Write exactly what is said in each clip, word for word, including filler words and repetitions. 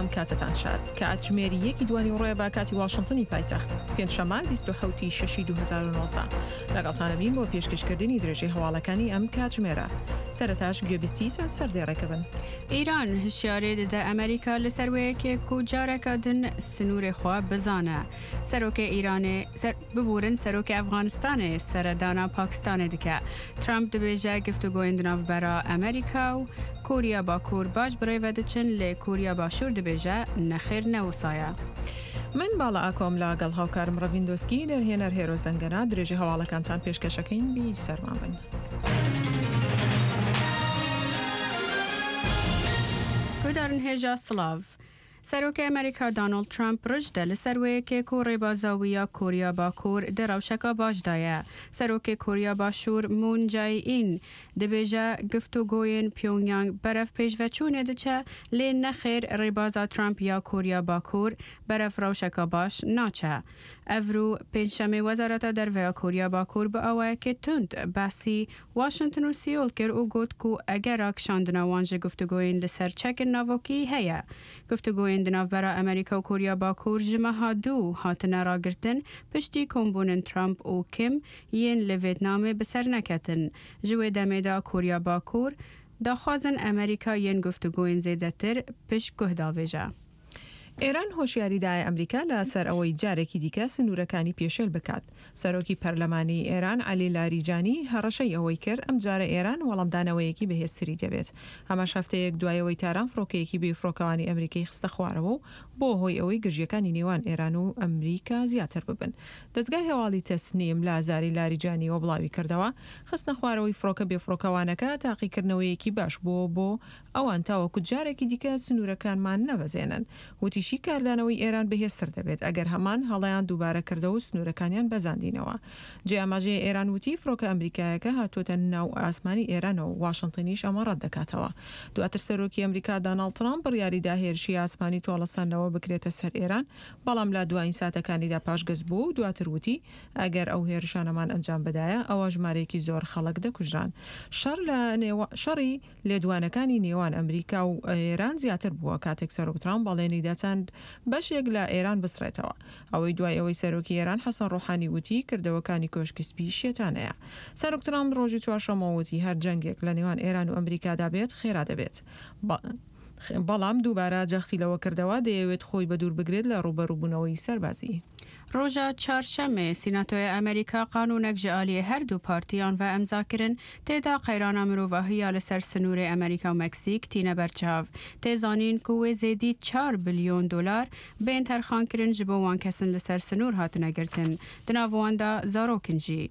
ئەم کاتەتان شاد. کاتژمێر یەکی دوانیوەڕۆیە بە کاتی واشنتنی پایتەخت، پێنجشەممە بیست و حەوت ی شەشی دوو هەزار و نۆزدە. لەگەڵتانە بین بۆ پێشکەشکردنی درێژەی هەواڵەکانی ئەم کاتژمێرە. سەرەتاش گوێبیستی چەند سەردێڕێکە بن. ئیران هشیارێ ددە ئەمریکا لەسەر وەیەکێ کو جارەکە دن سنوورێ خوا بزانە. سەرۆکێ ئیرانێ سەر ببورن سەرۆکێ ئەفغانستانێ سەردانا پاکستانێ دکە. ترامپ دبێژە گفتوگۆیên di navbera ئەمریکا و کۆریا باکوور باش بڕێوە دچن لێ کۆریا باشوور دبێژە نەخێر نەوسایە. من باڵا ئاکۆم لەگەڵ هاوکارم ڕەڤین دۆسکی دەرهێنەر هێرۆ زەنگەنە درێژەی هەواڵەکانتان پێشکەشەکەین بی سەرمان بن. گودارن هێژا سڵاv. سەرۆکê ئەمریکا دانۆڵد ترامپ ڕژدە لەسەر وەیەکێک و ڕێبازاویە کۆریا باکوور di rewşeka baş de ye. Serokê Koriya Başûr Moon Jae-in dibêje giftûgoyên Pyongyang berev pêşveçûnê diçe lê nexêr rêbaza Trump ya Koriya Bakur berev rewşeka baş naçe. Ev rû pêncşemê Wezareta Derve Koriya Bakur bi awayekê tund behsî Washington û Seoul kir û got ku egera kişandina wan ji guftugoyên li ser çekên navokî heye. Guftugoyên di navbera Amerîka û Koriya Bakur ji meha dû hatine ragirtin piştî kombûnên Trump û Kim yên li Vietnamê bi ser neketin. Ji wê demê de Koriya Bakur daxwazin Amerîka yên guftugoyên zêdetir pişt guh davêje. ئێران هۆشیاری دایە ئەمریکا لەسەر ئەوەی جارێکی دیکە سنوورەکانی پێشێل بکات. سەرۆکی پەرلەمانی ئێران عەلی لاریجانی هەڕەشەی ئەوەی کرد ئەمجارە ئێران وەڵامدانەوەیەکی بەهێزتری دەبێت. هەماش هەفتەیەک دوایەوەی تاران فڕۆکەیەکی بێفڕۆکەوانی ئەمریکای خستە خوارەوە و بۆ هۆی ئەوەی گرژیەکانی نێوان ئێران و ئەمریکا زیاتر ببن. دەستگای هەواڵی تەسنیم لە زاری لاریجانیەوە بڵاوی کردەوە خستنە خوارەوەی فڕۆکە بێفڕۆکەوانەکە تاقیکردنەوەیەکی باش بووە بۆ ئەوان تاوەکو جارێکی دیکە سنوورەکانمان نەبەزێنن. وتیشی کاردانەوەی ئێران بەهێزتر دەبێت ئەگەر هەمان هەڵەیان دووبارە کردەوە و سنوورەکانیان بەزاندینەوە. جێ ئاماژەیە ئێران وتی فڕۆکە ئەمریکایەکە هاتوۆتە ناو ئاسمانی ئێرانەوە واشنگتنیش ئەمە ڕەت دەکاتەوە. دواتر سەرۆکی ئەمریکا داناڵد ترامپ بڕیاریدا هێرشی ئاسمانی تۆڵەسەندنەوە بکرێتە سەر ئێران، بەڵام لە دوایین ساتەکانیدا پاشگەز بوو و دواتر وتی ئەگەر ئەو هێرشانەمان ئەنجام بدایە ئەوە ژمارەیەکی زۆر خەڵک دەکوژران. شەڕ لە شەڕی لێدوانەکانی نێوان ئەمریکا و ئێران زیاتر بووە کاتێک سەرۆک ترامپ بەڵێنی دا چەند بەشێک لە ئێران بسڕێتەوە. ئەوەی دوای ئەوەی سەرۆکی ئێران حەسەن ڕۆحانی وتی کردەوەکانی کۆشکی سپی شێتانەیە. سەرۆک ترامپ ڕۆژی چوارشەممە وتی هەر جەنگێک لە نێوان ئێران و ئەمریکادا بێت خێرا دەبێت. بەڵام دووبارە جەختی لەوە کردەوە دەیەوێت خۆی بەدوور بگرێت لە ڕووبەڕووبوونەوەی سەربازی. ڕۆژە چارشەممێ سیناتۆی ئەمریکا قانونێک ji aliyê her du partiyan ve emza kirin têda qeyrana mirovahiya li ser sinûrê Amerîka û Meksîk tîne berçav. Tê zanîn ku wê zêdî çar bilyon dolar bên terxankirin ji bo wan kesin li ser sinûr hatine girtin. Di nav wan de zarokin jî.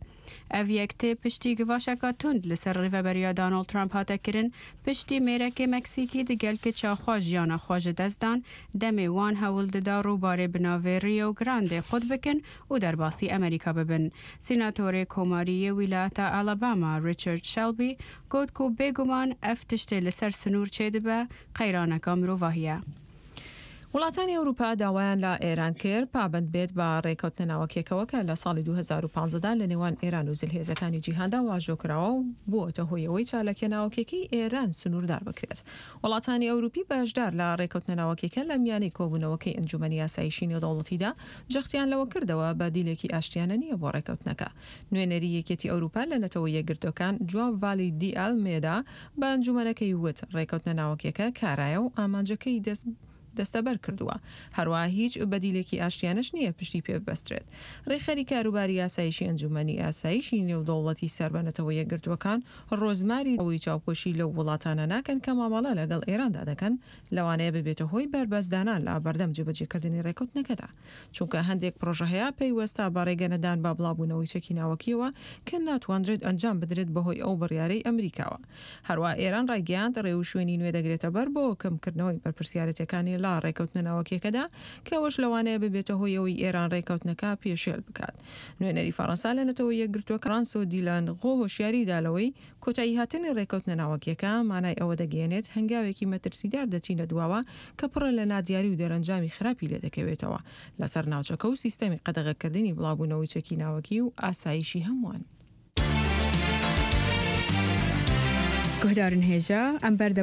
Ev yek tê piştî givaşeka tund li ser rêveberiya Donald Trump hate kirin, piştî mêrekê Meksîkî di gel keça xwe jiyana xwe ji dest dan, demê wan hewl dida rûbarê bi navê Rio Grande xwe bikin û derbasî Amerîka bibin. Sînatorê Komariyê Wîlayeta Alabama Richard Shelby got ku bêguman ev tiştê li ser sinûr çêdibe qeyraneka mirovahiye. وڵاتانی ئەوروپا داوایان لە ئێران کرد پابند بێت بە ڕێکەوتنە ناوەکیەکەوە کە لە ساڵی دوو هەزار و پانزەدا لە نێوان ئێران و زلهێزەکانی جیهاندا واژۆ کراوە و بووەتە هۆی ئەوەی چالاکیە ناوەکیەکەی ئێران سنووردار بکرێت. وڵاتانی ئەوروپی بەشدار لە ڕێکەوتنە ناوەکیەکە لە میانەی کۆبوونەوەکەی ئەنجومەنی ئاسایشی نێودەوڵەتیدا جەختیان لەوە کردەوە بەدیلێکی ئاشتیانە نییە بۆ ڕێکەوتنەکە. نوێنەری یەکێتی ئەوروپا لە نەتەوە یەکگرتووەکان جواو ڤالی دی ئالمێدا بە ئەنجومەنەکەی وت ڕێکەوتنە ناوەکیەکە کارایە و ئامانجەکەی دەست دەستەبەر کردووە. هەروەها هیچ بەدیلێکی ئاشتیانەش نییە پشتی پێ ببەسترێت. ڕێکخەری کاروباری ئاسایشی ئەنجومەنی ئاسایشی نێودەوڵەتی سەر بە نەتەوە یەکگرتووەکان ڕۆزماری ئەوەی چاوپۆشی لەو وڵاتانە ناکەن کە مامەڵە لەگەڵ ئێراندا دەکەن، لەوانەیە ببێتە هۆی بەربەستدانان لە بەردەم جێبەجێکردنی ڕێکەوتنەکەدا، چونکە هەندێک پرۆژە هەیە پەیوەستە بە ڕێگەنەدان بە بڵاوبوونەوەی چەکی ناوەکیەوە کە ناتوانرێت ئەنجام بدرێت بەهۆی ئەو بڕیارەی ئەمریکاوە. هەروەها ئێران ڕایگەیاند ڕێوشوێنی نوێ دەگرێتە بەر بۆ کەمکردنەوەی بەرپرسیارەتەکانی لە ڕێکەوتنە ناوەکیەکەدا کە ئەوەش لەوانەیە ببێتە هۆی ئەوەی ئێران ڕێکەوتنەکە پێشێل بکات. نوێنەری فەڕەنسا لە نەتەوە یەکگرتووەکان فرانسۆ دیلان غۆ هۆشیاری دا لەوەی کۆتایی هاتنی ڕێکەوتنە ناوەکیەکە مانای ئەوە دەگەیەنێت هەنگاوێکی مەترسیدار دەچینە دواوە کە پڕە لە نادیاری و دەرەنجامی خراپی لێدەکەوێتەوە لەسەر ناوچەکە و سیستەمی قەدەغەکردنی بڵاوبوونەوەی چەکی ناوەکی و ئاسایشی هەمووان. گوهدارن هێژا ئەم بەردە